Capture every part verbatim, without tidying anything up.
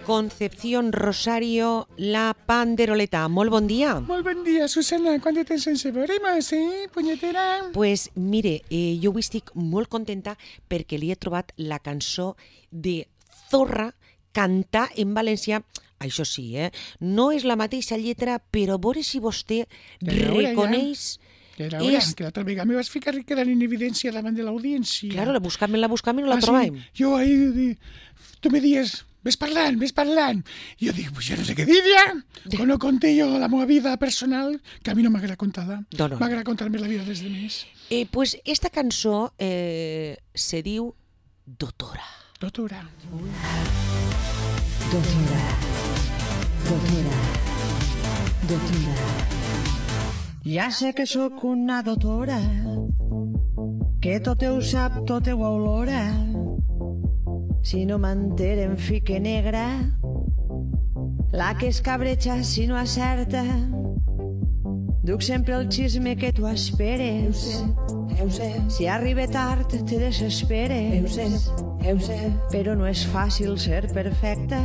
Concepción Rosario, la Panderoleta. Molt bon dia. Molt bon dia, Susana. Quant de temps sense veure-nos, eh, punyetera? Pues mire, eh, jo avui estic molt contenta perquè li he trobat la cançó de Zorra cantar en valencià. Això sí, eh? No és la mateixa lletra, però a veure si vostè reconeix... Ja era hora, que l'altra vegada me vas ficar quedant en evidència davant de l'audiència. Claro, la buscam, la buscam i no la ah, trobàvem. Sí? Jo ahí, tu me dies, ves parlant, ves parlant. I jo dic, pues jo no sé què dir ja. Quan no conté jo la meva vida personal, que a mi no m'agrada contar-la. No, no. M'agrada contar-me la vida des de més. Eh, pues esta cançó eh, se diu Dotora. Dotora. Dotora. Dotora. Dotora. Ja sé que sóc una dotora, que tot ho sap, tot ho olora. Si no m'entere em fique negra, la que es cabreja si no acerta. Duc sempre el xisme que tu esperes. Heu sé, si arriba tard te desesperes. Heu sé, heu sé, però no és fàcil ser perfecta.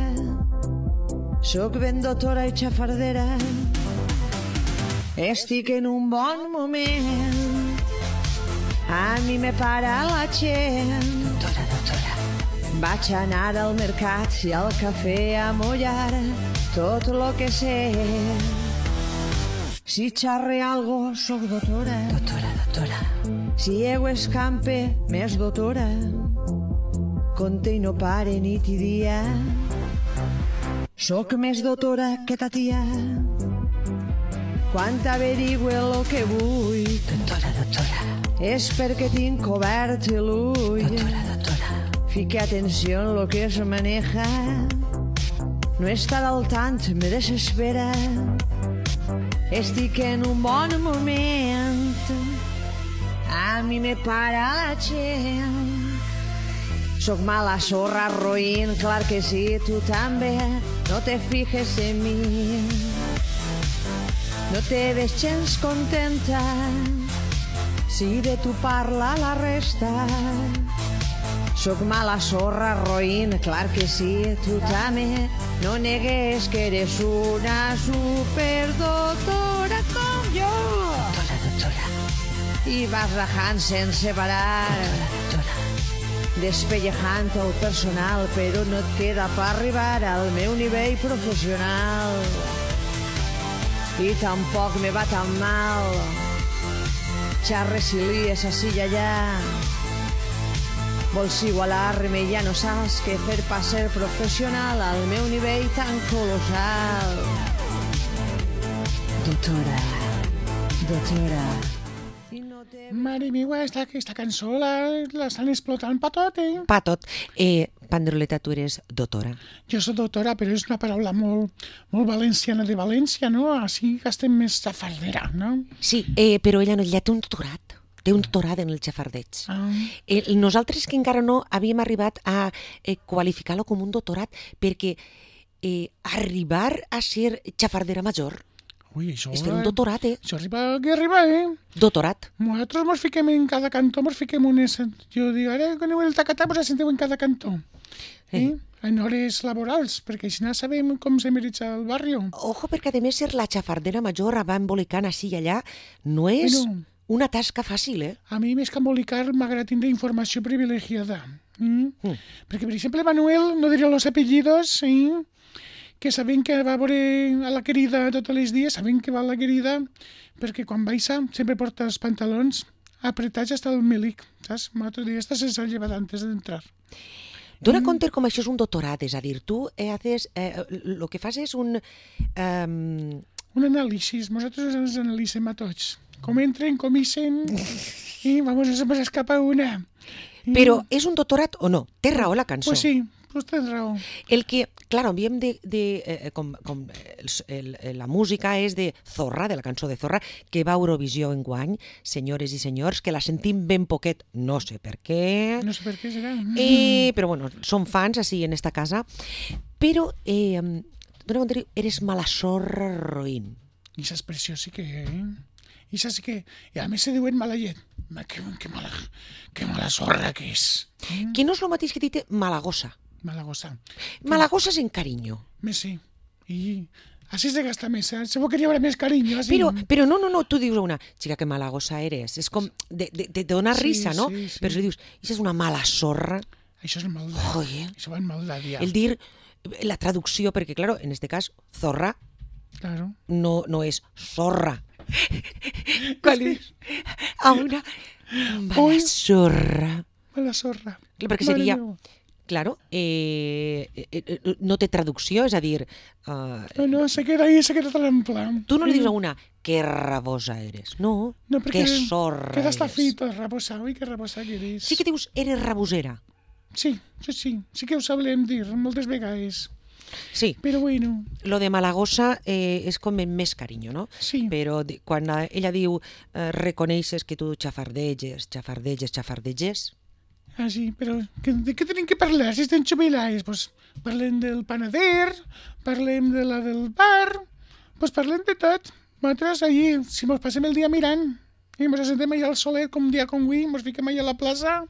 Sóc ben dotora i xafardera. Estic en un bon moment, a mi me para la gent. Dotora, dotora. Vaig anar al mercat i al cafè a mullar tot lo que sé. Si xarre algo, soc dotora. Dotora, dotora. Si ego escampe, més dotora. Conte i no pare nit i dia. Soc més dotora que ta tia. Quan t'averigüe el que vull, doctora, doctora, és perquè tinc cobert l'ull. Doctora, doctora, fique atenció en lo que es maneja. No estar al tant me desespera. Estic en un bon moment, a mi me para la gent. Soc mala sorra, roïn, clar que sí, tu també. No te fijes en mi. No te ves gens contenta si de tu parla la resta. Soc mala sorra, roïn, clar que sí, tu també. No negues que eres una superdoctora com jo. Doctora, doctora. I vas rajant sense parar. Doctora. Despellejant el personal, però no et queda per arribar al meu nivell professional. I tampoc me va tan mal. Xarres i lies així i allà. Vols igualar-me i ja no saps què fer per ser professional al meu nivell tan colossal. Doctora, doctora. Mare meva, esta, aquesta cançó la, la estan explotant pa tot, eh? Pa tot. Eh, Panderoleta, tu eres dotora. Jo soc doctora, però és una paraula molt, molt valenciana de València, no? Així que estem més xafardera, no? Sí, eh, però ella no, ella té un doctorat. Té un doctorat en el xafardeig. Ah. Eh, nosaltres que encara no havíem arribat a eh, qualificar-lo com un doctorat, perquè eh, arribar a ser xafardera major Ui, això... és fer un doctorat, eh? Això arriba, que arriba, eh? Doctorat. Nosaltres mos fiquem en cada cantó, mos fiquem unes... Jo dic, ara que aneu el tacatà, mos assenteu en cada cantó. Eh? eh? En hores laborals, perquè així no sabem com se mereix el barri. Ojo, perquè a més ser la xafardera major va embolicant així i allà no és bueno, una tasca fàcil, eh? A mi més que embolicar m'agrada tindre informació privilegiada. Mm? Mm. Perquè, per exemple, Manuel, no diré los apellidos, eh? que sabem que va a veure a la querida tots els dies, sabem que va a la querida, perquè quan baixa sempre porta els pantalons apretats hasta el melic, saps? L'altre dia està sense llevar antes d'entrar. Dona mm. compte com això és un doctorat, és a dir, tu eh, haces, eh, lo que fas és un... Um... Un anàlisi, nosaltres ens analitzem a tots. Com entren, com ixen, i vamos, se nos escapa una. Però és un doctorat o no? Té raó la cançó. Pues sí. Pues tens raó. El que, clar, havíem de... de eh, com, com el, el, la música és de Zorra, de la cançó de Zorra, que va a Eurovisió enguany, senyores i senyors, que la sentim ben poquet, no sé per què. No sé per què serà. Eh, però bueno, som fans així en esta casa. Però, eh, dona compte, eres mala sorra roïn. I aquesta expressió sí que... Eh? I això sí que... I a més se diuen mala llet. Que, que, mala, que mala sorra que és. Que no és el mateix que dit malagosa. Malagosa. Malagosa sin cariño. Me sí. Y así se gasta més, eh? Segur que n'hi haurà més carinyo. Así. Pero, pero no, no, no, tú dius una, chica, que malagosa eres. És com, de, de, te dona Sí, risa, no? sí, sí. Però si dius, això és una mala sorra, Això és maldat. Joder. Això va en maldat, ja. el dir, la traducció, perquè, claro, en este cas, zorra Claro. no, no és zorra. Quan li dius a una mala Ui. sorra. Mala sorra. Perquè Mare seria, meva. claro, eh, eh, eh, no té traducció, és a dir, uh, No, no, se queda ahí, se queda trampla. tu no li dius a una que rabosa eres, no, No, perquè que sorra queda està eres. fita, rabosa. Ui, que rabosa que eres. Sí que dius, eres rabosera. Sí, sí, sí. Sí que ho sabrem dir moltes vegades. Sí, Però bueno, lo de Malagosa eh, és com amb més carinyo, no? sí. Però di- quan eh, ella diu eh, reconeixes que tu xafardeges, xafardeges, xafardeges, Ah, sí, però que, de què tenim que parlar si estem jubilats? Pues parlem del panader, parlem de la del bar, pues parlem de tot. Nosaltres allí, si mos passem el dia mirant, i mos assentem allà al solet com un dia com avui, mos fiquem allà a la plaça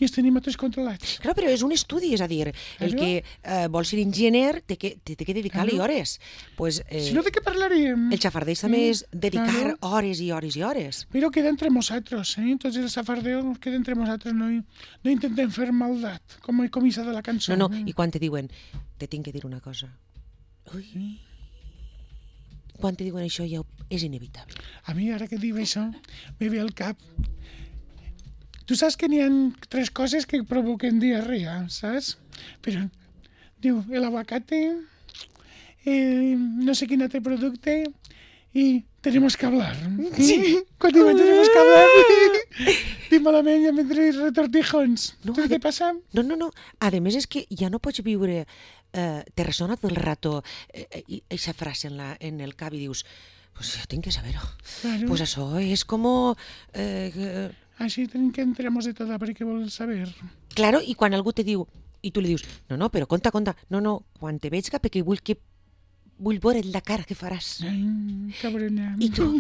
i els tenim a tots controlats. clar, però és un estudi, és a dir, el Claro. que eh, vol ser enginyer té que, té, té que dedicar-li Claro. hores. Pues, eh, Si no, de què parlaríem? el xafardeig també és dedicar claro. hores i hores i hores. Però queda entre nosaltres, eh? Tots els safardeos queda entre nosaltres, no, no intentem fer maldat, com el comissar de la cançó. No, no, i quan te diuen, te tinc que dir una cosa. Ui. Quan te diuen això ja és inevitable. A mi, ara que diu això, me ve al cap. Tu saps que n'hi ha tres coses que provoquen diarrea, saps? Però, diu, el aguacate, eh, no sé quin altre producte, i tenemos que hablar. Sí. Quan diuen tenemos que hablar, dic malament, ja m'entré retortijons. No, No, Saps què passa? No, no, no. A més és que ja no pots viure... Eh, te ressona tot el rato eh, eh, eixa frase en, la, en el cap i dius, pues jo tinc que saber-ho. Claro. Pues això és com... Eh, eh, Així tenim que entremos de tot, perquè vol saber. claro, i quan algú te diu, i tu li dius, no, no, però conta, conta, no, no, quan te veig perquè vull que vull veure la cara que faràs. Ai, cabrona. I tu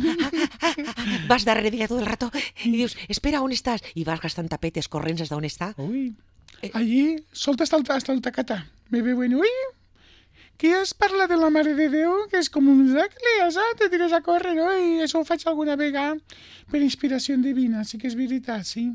vas darrere d'ella tot el rato i dius, espera, on estàs? I vas gastant tapetes corrents d'on està. Ui, Eh. allí solta hasta el, hasta el tacata. Me ve bueno, uy, que es parla de la Mare de Déu, que és com un miracle, saps? Te tires a córrer, no? I això ho faig alguna vegada per inspiració divina, sí que és veritat, sí.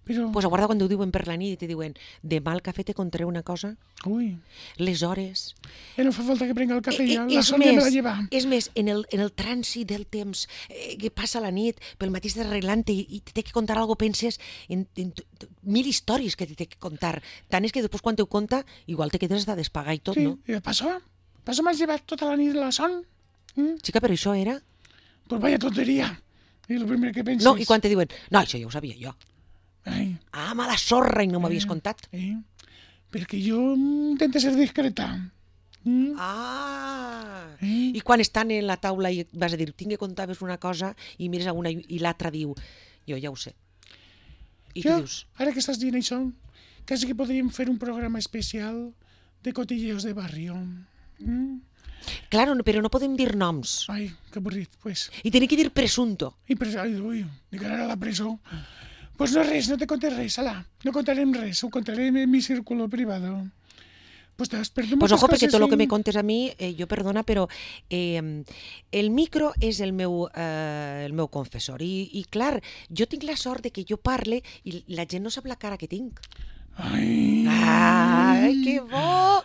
Però, Pues aguarda quan t'ho diuen per la nit i te diuen, demà al cafè te contaré una cosa, ui, les hores... ja no fa falta que prenga el cafè, ja, Eh, eh, la és Sònia me la més, lleva. és més, en el, en el trànsit del temps eh, que passa la nit, pel matí estàs arreglant i, i te té que contar alguna cosa, penses en, en, t- t- mil històries que te té que contar. Tant és que després quan te ho conta, igual te quedes de despagar i tot, Sí, no? i passó, passó m'has llevat tota la nit de la son. Mm? Xica, però això era... Pues vaya tonteria. I el primer que penses... No, i quan te diuen, no, això ja ho sabia jo. Ai, Ah, mala sorra, i no m'havies Eh. contat. eh? Perquè jo intento ser discreta. Mm? Ah! Eh? I quan estan en la taula i vas a dir, tinc que contar-vos una cosa, i mires a una i i l'altra diu, jo ja ho sé. I tu Jo, dius, ara que estàs dient això, quasi que podríem fer un programa especial de cotilleos de barrio. Mm? claro, no- però no podem dir noms. Ai, que avorrit, pues. I tenir que dir presunto. I pres... Ai, ui, ni que anar a la presó. Pues no res, no te conté res, ala. No contarem res, ho contarem en mi círculo privado. Pues te has perdido Pues muchas ojo, perquè cosas tot el que en- me contes a mi, eh, jo perdona, però eh, el micro és el meu, eh, el meu confessor. I, I clar, jo tinc la sort de que jo parle i la gent no sap la cara que tinc. Ai, Ai, que bo!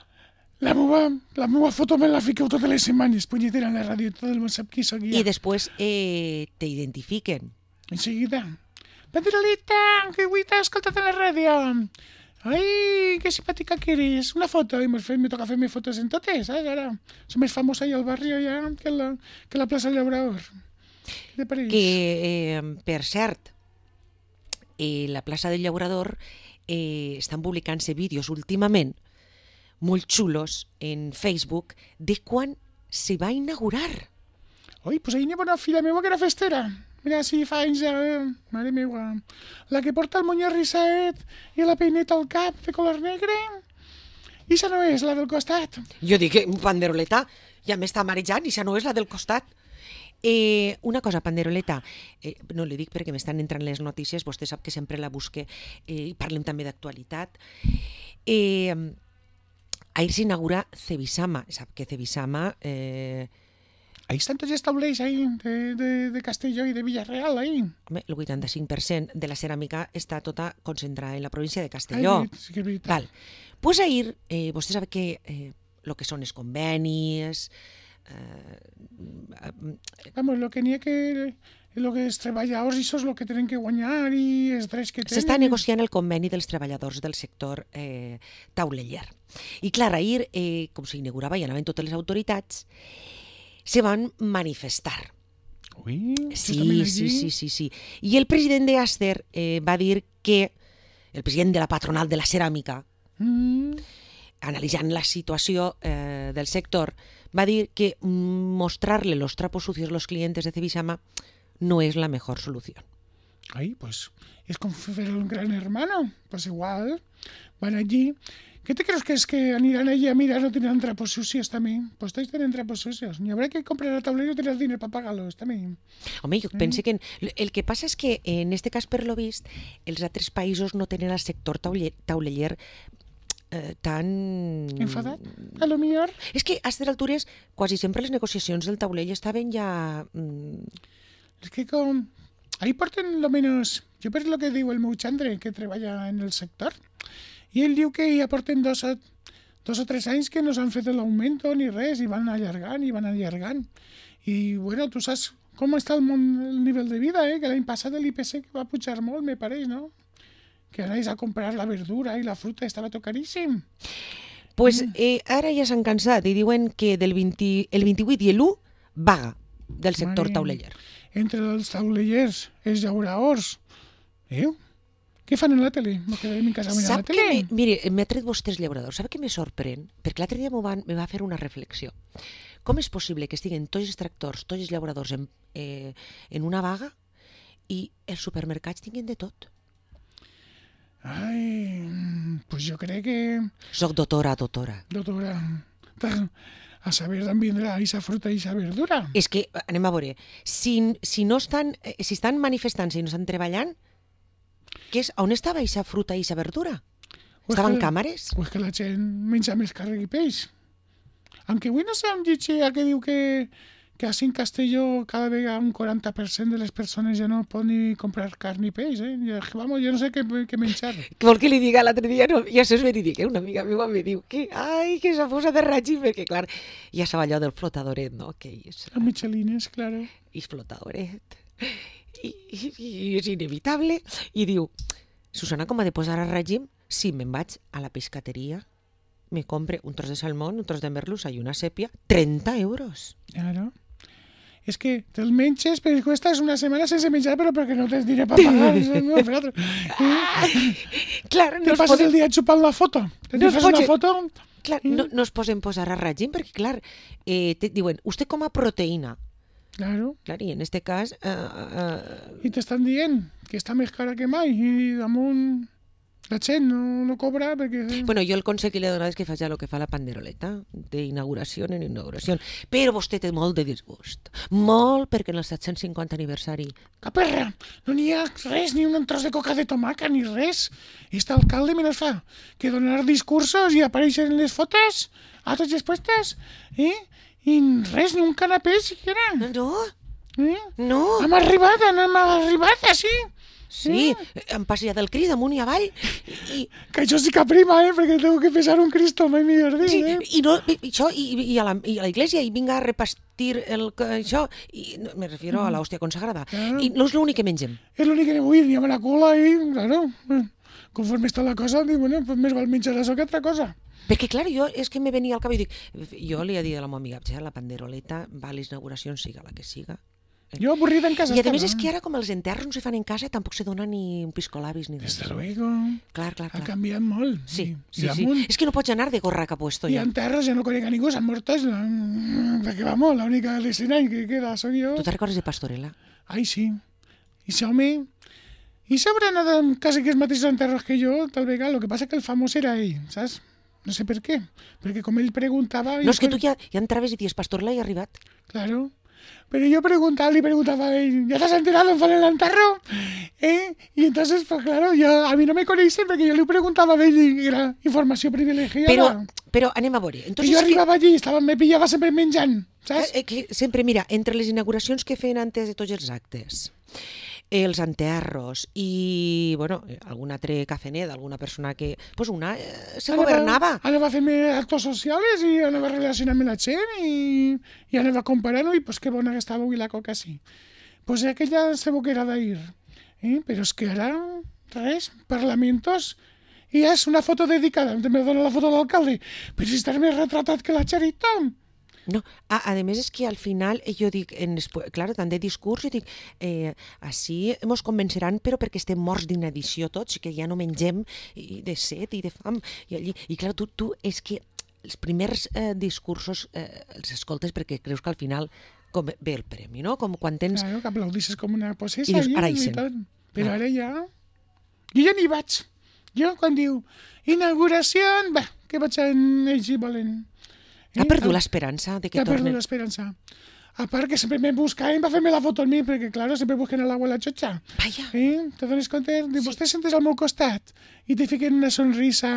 la meva, la meva foto me la fiqueu totes les setmanes, punyetera, en la ràdio, tot el món sap qui sóc I ja. després eh, te identifiquen. Enseguida. Pedrolita, que avui t'he escoltat a la ràdio. Ai, que simpàtica que eres. Una foto, i mos fem, me toca fer-me fotos en totes, saps? Ara som més famosa allà al barri ja que la, que la plaça Llaurador. Què te pareix? Que, eh, per cert, eh, la plaça del Llaurador eh, estan publicant-se vídeos últimament molt xulos en Facebook de quan se va inaugurar. Oi, pues ahir n'hi ha una filla meva que era festera. Mira, si fa anys ja... Eh? Mare meva. La que porta el moño risset i la peineta al cap de color negre. I això no és la del costat. Jo dic, que panderoleta, ja m'està marejant, i això no és la del costat. Eh, una cosa, panderoleta, eh, no li dic perquè m'estan entrant les notícies, vostè sap que sempre la busque eh, i parlem també d'actualitat. Eh, ahir s'inaugura Cebisama. Sap que Cebisama... Eh, ahí están tots els taulers ahí, de, de, de Castelló i de Villarreal, ahí. Home, el vuitanta-cinc per cent de la ceràmica està tota concentrada en la província de Castelló. Ai, sí que és veritat. Val. Pues ahir, eh, vostè sap que eh, lo que són els convenis... Eh, Vamos, lo que n'hi ha que... Lo que els treballadors, això és el que tenen que guanyar i els drets que tenen. S'està negociant el conveni dels treballadors del sector eh, tauleller. I clar, ahir, eh, com s'inaugurava i anaven totes les autoritats, se van manifestar. Ui, sí, sí, sí, sí, sí. I el president de Aster eh, va dir que, el president de la patronal de la ceràmica, mm. analitzant la situació eh, del sector, va dir que mostrarle los trapos sucios a los clientes de Cebisama no es la mejor solución. Ay, pues es como ver un gran hermano. Pues igual, van allí. ¿Qué te crees que es que aniran allí a mirar no tendrán trapos sucios también? Pues todos tienen trapos sucios. Ni habrá que comprar el tablero y tener dinero para pagarlos también. Home, jo mm. pense que... El que passa és que, en este cas, per lo vist, els altres països no tenen el sector tauler, tauleller eh, tan... Enfadat, a lo millor. És que, a aquestes altures, quasi sempre les negociacions del taulell estaven ja... Mm... Es que com... Ahí porten lo menos... Jo per lo que diu el meu xandre, que treballa en el sector, i ell diu que ja porten dos o, dos o tres anys que no s'han fet l'augment ni res, i van allargant, i van allargant. I, bueno, tu saps com està el, món, el nivell de vida, eh? Que l'any passat l'I P C va pujar molt, me pareix, no? Que anaves a comprar la verdura i la fruta, estava tot caríssim. Pues eh, ara ja s'han cansat i diuen que del vint, el vint-i-vuit i l'u vaga del sector Mare. Tauleller. Entre els taulellers, els llauradors. Eh? Què fan a la tele? Me quedem en casa mirant la tele. Me, mire, m'ha tret vostè els llauradors. Sap què me sorprèn? Perquè l'altre dia van, me va fer una reflexió. Com és possible que estiguen tots els tractors, tots els llauradors en, eh, en una vaga i els supermercats tinguin de tot? Ai, pues jo crec que... Soc doctora, doctora. Doctora, a saber d'on vindrà aquesta fruta i aquesta verdura. És que, anem a veure, si, si no estan, si estan manifestant-se i no estan treballant, què és, on estava aquesta fruta i aquesta verdura? Estaven que, càmeres? O és que la gent menja més carn i peix. Aunque avui no sé on llegir que diu que, que així en Castelló cada vegada un quaranta per cent de les persones ja no poden ni comprar carn i peix, eh? Jo, vamos, jo no sé què, què menjar. Què vol que li diga l'altre dia? No, ja això és verídic, eh? Una amiga meva me diu que, ai, que s'ha posat de règim, perquè, clar, ja sabia allò del flotadoret, no? Que és... El Michelines, claro. I flotadoret. I, i, i és inevitable. I diu, Susana, com ha de posar a règim? Sí, me'n vaig a la pescateria, me compre un tros de salmón, un tros de merluza i una sèpia, trenta euros. Claro. És que te'l menges, però cuestas una setmana sense menjar, però perquè no tens diners per pagar. No, eh? Clar, no Te passes podem... el dia xupant la foto. Te no fas posen... una foto... Clar, no, no es poden posar a règim, perquè, clar, eh, te diuen, usted coma proteïna. Claro. Clar, i en este cas... Uh, uh... I t'estan dient que està més cara que mai, i damunt... La gent no, no cobra perquè... Bueno, jo el consell que li he donat és que faci el que fa la panderoleta, d'inauguració en inauguració. Però vostè té molt de disgust. Molt, perquè en el set-cents cinquanta aniversari... Caperra! No n'hi ha res, ni un tros de coca de tomaca, ni res. I este alcalde menos fa que donar discursos i apareixen les fotos a tots els puestos, eh? I res, ni un canapé, siquiera. No? Eh? No. Hem arribat, hem arribat, així. Sí, em passa del Cris amunt i avall. I... Que això sí que prima, eh? Perquè tengo que pesar un Cristo, mai millor dir, sí, eh? I, no, i, això, i, i, a la, i a la iglesia, i vinga a repastir el, això, i, no, me refiero a la hòstia consagrada. Claro. I no és l'únic que mengem. És l'únic que vull, anem a la cola i, claro, conforme està la cosa, dic, bueno, pues més val menjar això que altra cosa. Perquè, clar, jo és que me venia al cap i dic, jo li he dit a la meva amiga, la panderoleta va a les inauguracions, siga la que siga. Jo avorrida en casa. I a més és que ara com els enterros no se fan en casa tampoc se dona ni un piscolabis ni res. Desde luego. Clar, clar, clar. Ha canviat molt. Sí, I, sí, i sí. És que no pots anar de gorra cap puesto. I en terres ja no conec a ningú, s'han mort tots. Perquè vamos, l'única destinant que queda soc jo. Tu te'n recordes de Pastorela? Ai, sí. I això home... I s'haurà anat en quasi que els mateixos enterros que jo, tal vegada. El que passa que el famós era ell, saps? No sé per què. Perquè com ell preguntava... No, és que tu ja, ja entraves i dius, Pastorela ja ha arribat. Claro. Pero yo preguntaba, le preguntaba a él, ¿ya te has enterado en el enterro? ¿eh? Y entonces, pues claro, yo, a mí no me coneixen perquè jo li preguntava a ell i era informació privilegiada. Però, però anem a veure. Entonces, jo arribava que... allí, estava, me pillava sempre menjant, saps? Eh, que sempre, mira, entre les inauguracions que feien antes de tots els actes, els enterros i, bueno, algun altre cafenet, alguna persona que, pues una, eh, se anava, governava. Anava a fer actos socials i anava a relacionar amb la gent i, i anava comparant, i pues que bona que estava avui la coca, sí. Pues aquella se boquera d'ahir, eh? Però és que ara, res, parlamentos, i és una foto dedicada, també dona la foto de l'alcalde, però si estàs més retratat que la Charito. No, a, a més és que al final jo dic, en, clar, tant de discurs, jo dic, eh, així ens convenceran, però perquè estem morts d'inadició tots, que ja no mengem i de set i de fam. I, allí, i clar, tu, tu és que els primers eh, discursos eh, els escoltes perquè creus que al final com ve el premi, no? Com quan tens... Claro, que aplaudisses com una possessa. I dius, ara hi sent. Però ara ja... Jo ja n'hi vaig. Jo, quan diu inauguració, va, que vaig en ells hi volen. Ha perdut l'esperança de que tornen. Ha tornen. perdut l'esperança. A part que sempre me buscaven per fer-me la foto amb mi, perquè, claro, sempre busquen a l'agua a la xotxa. Vaya. Eh? Te dones compte? Sí. Vostè sentes al meu costat i te fiquen una sonrisa,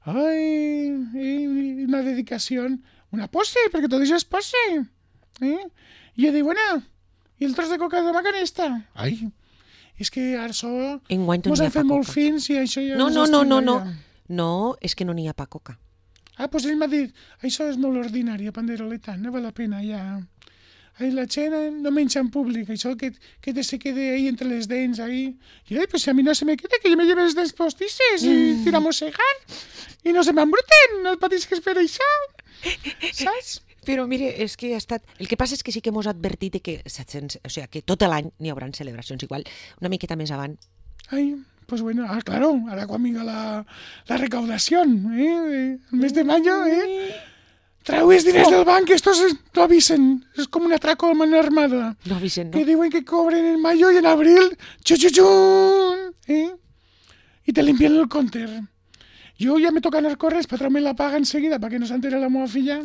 ai, eh, una dedicació, una pose, perquè tot això és pose. Eh? I jo dic, bueno, i el tros de coca de macanista? Ai, és que ara això mos han fet molt fins i això ja... No, no, no, no, no. No, és que no n'hi ha pa coca. Ah, doncs ell m'ha dit, això és molt ordinari, a Panderoleta, no val la pena ja... Ai, la gent no menja en públic, això que, que te se quede ahí entre les dents, ahí... I ai, pues a mi no se me queda, que jo me lleve les dents postisses i mm. tira a mossegar, i no se m'embruten, no patisques per això, saps? Però mire, és que ha estat... El que passa és que sí que mos ha advertit que, o sigui, que tot l'any n'hi haurà celebracions igual, una miqueta més avant. Ai... Pues bueno, ah, claro, ahora cuando venga la, la recaudación, ¿eh? El mes de mayo, ¿eh? Traues diners oh. del banc, estos no avisen, es como un atraco a mano armada. No avisen, no. Que diuen que cobren en mayo y en abril, chuchuchun, ¿eh? Y te limpian el counter. Yo ya me toca anar correr para traerme la paga enseguida, para que no se entere la meva filla,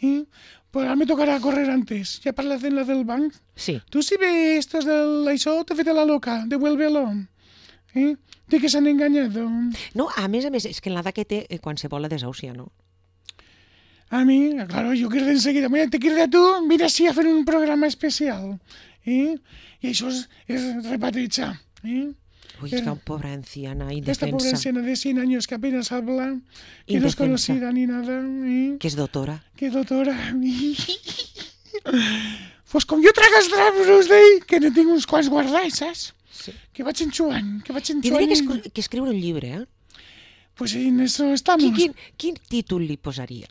¿eh? Pues ahora me tocará correr antes. ¿Ya parlas de la del banc? Sí. Tú si ves estos del això, te fete la loca, devuélvelo. Eh? De que s'han enganyat. No, a més a més, és que en l'edat que té eh, qualsevol la desàusia, no? A mi, claro, jo quiero enseguida. Mira, te quiero a tu, mira si a fer un programa especial. Eh? I això és, és repatejar. Eh? Uy, es que una pobra anciana indefensa. Esta pobra anciana de cien años que apenas habla, que indefensa. No es conocida ni nada. Eh? Que és doctora. Que doctora. Pues com jo tragues drapos d'ell, que ne tinc uns quants guardats, saps? Sí. Que vaig enxuant, que vaig enxuant... Tindria que, esc que escriure un llibre, eh? Pues en eso estamos. Quin, quin títol li posaria?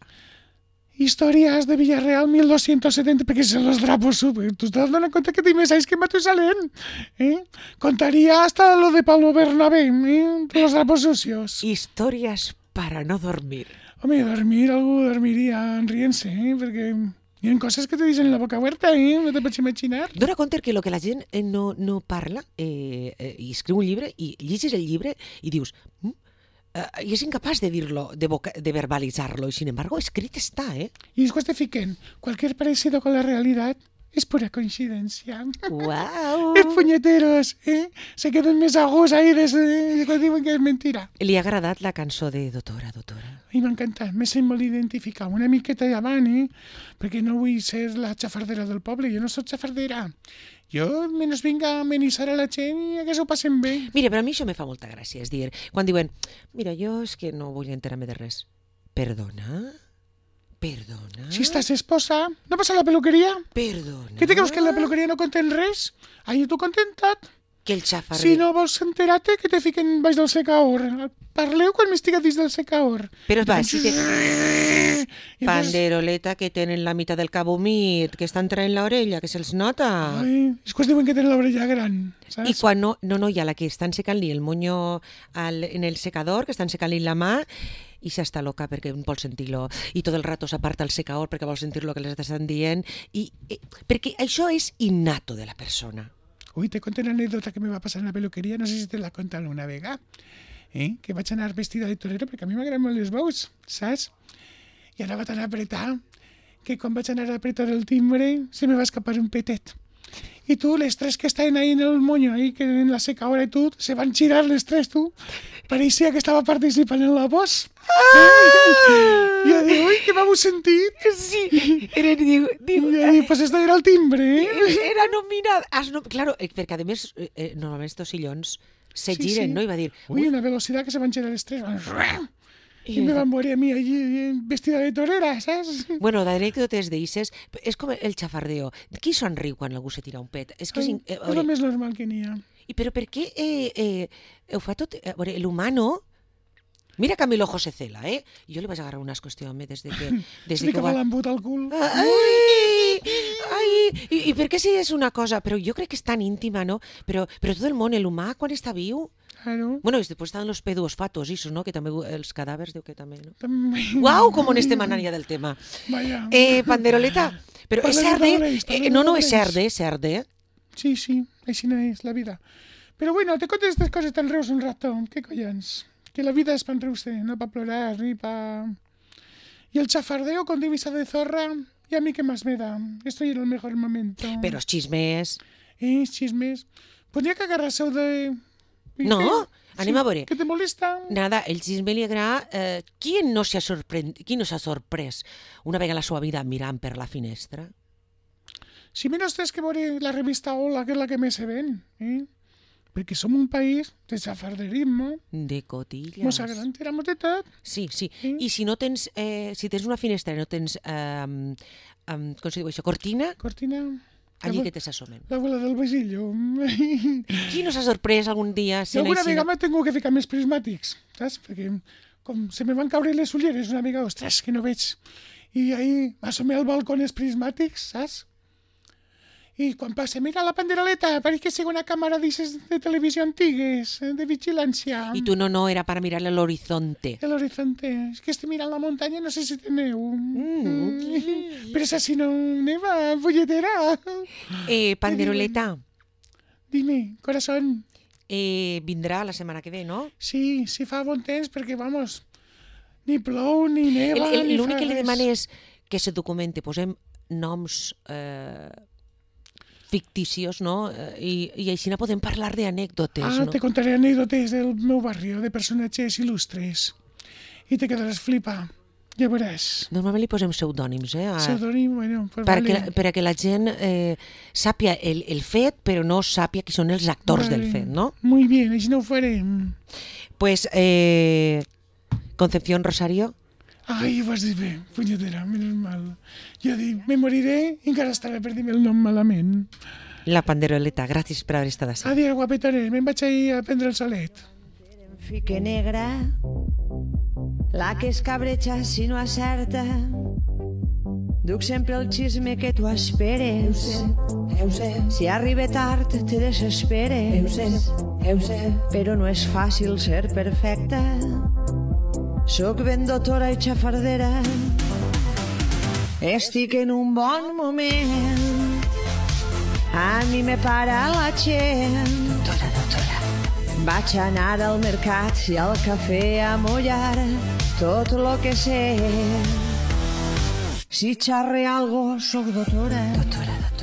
Historias de Villarreal mil doscientos setenta, perquè son los drapos super. ¿Tú estás dando cuenta que te me sabes que Matusalén? ¿Eh? Contaría hasta lo de Pablo Bernabé, ¿eh? Los drapos sucios. Historias para no dormir. Hombre, dormir, algo dormiría riense, ¿eh? Porque... Hi ha coses que te dicen en la boca oberta, eh? No te pots imaginar. Dóna compte que el que la gent no, no parla eh, eh, i escriu un llibre i llegis el llibre i dius mm, eh, i és incapaç de dir-lo, de, de verbalitzar-lo i sin embargo escrit està, eh? I després te fiquen, cualquier parecido con la realidad es pura coincidencia. Wow. Els puñeteros, eh? Se queden més aguts ahí des de quan diuen que és mentira. Li ha agradat la cançó de Doctora, Doctora? A mi m'ha encantat, m'he sent molt identificar, una miqueta davant, eh? Perquè no vull ser la xafardera del poble, jo no soc xafardera. Jo menys vinc a amenitzar a la gent i que s'ho passen bé. Mira, però a mi això me fa molta gràcia, és dir, quan diuen, mira, jo és que no vull enterar-me de res. Perdona? Perdona? Si estàs esposa, no vas a la peluqueria? Perdona? Què te creus que en la peluqueria no conten res? Ahí tu contentat. Que el xafarder... Si no vols enterar-te, que te fiquen baix del secaor. Parleu quan m'estiga dins del secaor. Però va, si te... Panderoleta que tenen la meitat del cap humit, que estan traient l'orella, que se'ls nota. Ai, és que diuen que tenen l'orella gran, saps? I quan no, no, no, hi ha la que estan secant-li el moño al, en el secador, que estan secant-li la mà, i s'està loca perquè vol sentir-lo, i tot el rato s'aparta el secador perquè vol sentir lo que les estan dient, i, eh, perquè això és innato de la persona. Uy, te conté una anécdota que me va pasar en la peluquería, no sé si te la contan una vega, eh? Que vaig anar vestida de torero perquè a mi m'agraden molt les veus, saps? I anava tan apretar que quan vaig anar a apretar el timbre se me va escapar un petet. Y tú, los tres que están ahí en el moño, ahí que en la secadora y tú, se van a girar los tres, tú. Parecía que estaba participando en la voz. Ah! Y yo digo, uy, ¿qué vamos a sentir? Sí, era, digo, digo, Y yo digo, pues esto era el timbre, eh? era nominada. Has no... Claro, eh, perquè a més, eh, normalment estos sillons se Sí, giren, sí. no? I va dir, Uy, una velocidad que se van a girar los tres. Van... Y me van a morir a mí allí vestida de torera, ¿sabes? Bueno, d'anècdotes d'eixes, és com el xafardeo. Qui se'n riu quan algú se tira un pet? És que és... Ai, in- eh, a és el veure, més normal que n'hi ha. I però per què eh, eh, ho fa tot... A veure, l'humano... Mira Camilo José Cela, eh? Jo li vaig agarrar un asco a este home des de que... Des Se de li que ho acaba va... l'embut al cul. Ai, ai, i, i per què si és una cosa? Però jo crec que és tan íntima, no? Però, però tot el món, l'humà, quan està viu... Claro. Bueno, y después están los pedos fatos, eso, ¿no? Que también, els cadàvers, diu que també, no? També... Uau, com en este manant ja del tema. Vaya. Eh, Panderoleta, però és Parlem cerde? d'obres, parlem Eh, no, no, és d'obres. cerde, és cerde. Sí, sí, així no és la vida. Pero bueno, te contes estas cosas tan reus un rato. ¿Qué collons? Que la vida es para reírse, no para plorar ni para... Y el chafardeo con divisa de zorra, ¿y a mí qué más me da? Estoy en el mejor momento. Però els xismes... Eh, chismes. Podría que agarrarse de... ¿Y No, qué? anem a veure. ¿Qué te molesta? Nada, el xisme li agrada... Eh, qui no s'ha sorprend... qui no s'ha sorprès una vegada a la seva vida mirant per la finestra? Si menos tienes que ver la revista Hola, que es la que me se ven, ¿eh? Porque somos un país de chafarderismo. De cotillas. Mos agrada, tiramos de tot. Sí, sí. Sí. I si no tens... Eh, si tens una finestra i no tens... Eh, um, com se diu això? Cortina, Cortina... allí la, que te s'assomen. la abuela del basillo. Qui no s'ha sorprès algun dia? I alguna vegada me tengo que ficar més prismàtics, saps? Perquè com se me van caure les ulleres una mica, ostres, que no veig. I ahí m'assomé al balcó els prismàtics, saps? I quan passa, mira la panderoleta, pareix que sigui una càmera d'aixes de televisió antigues, eh, de vigilància. I tu no, no, era para mirarle al horizonte. El horizonte. És que estic mirant la muntanya, no sé si té neu. Mm. Però esa si no neva, folletera. Eh, Panderoleta, Dime, corazón. eh, vindrà la setmana que ve, no? Sí, sí fa bon temps, perquè, vamos, ni plou, ni neva, El- el- ni L'únic fa que li res. demano és que se documenti, posem noms eh, ficticios, no? Eh, I, I així no podem parlar d'anècdotes, Ah, no? te contaré anécdotes del meu barrio, de personatges il·lustres. I te quedaràs flipa. Ja veuràs. Normalment li posem pseudònims, eh? A, Pseudònim, bueno, pues perquè, vale. per a que la gent eh, sàpia el, el fet, però no sàpia qui són els actors Vale. del fet, no? Muy bien, així no ho farem. Pues, eh, Concepción Rosario, Ai, ho vas dir bé, punyetera, menys mal. Jo dic, me moriré i encara estaré per dir-me el nom malament. la Panderoleta, gràcies per haver estat així. Adiós, guapetones, me'n vaig ahir a prendre el solet. Fique negra, la que escabreja si no acerta. Duc sempre el xisme que tu esperes. Eu sé, Si arriba tard te desesperes. eu sé, eu sé. Però no és fàcil ser perfecta. Soc ben dotora i xafardera. Estic en un bon moment. A mi me para la gent. Doctora, doctora. Vaig anar al mercat i al cafè a mullar tot lo que sé. Si xarre algo, soc doctora. Doctora, doctora.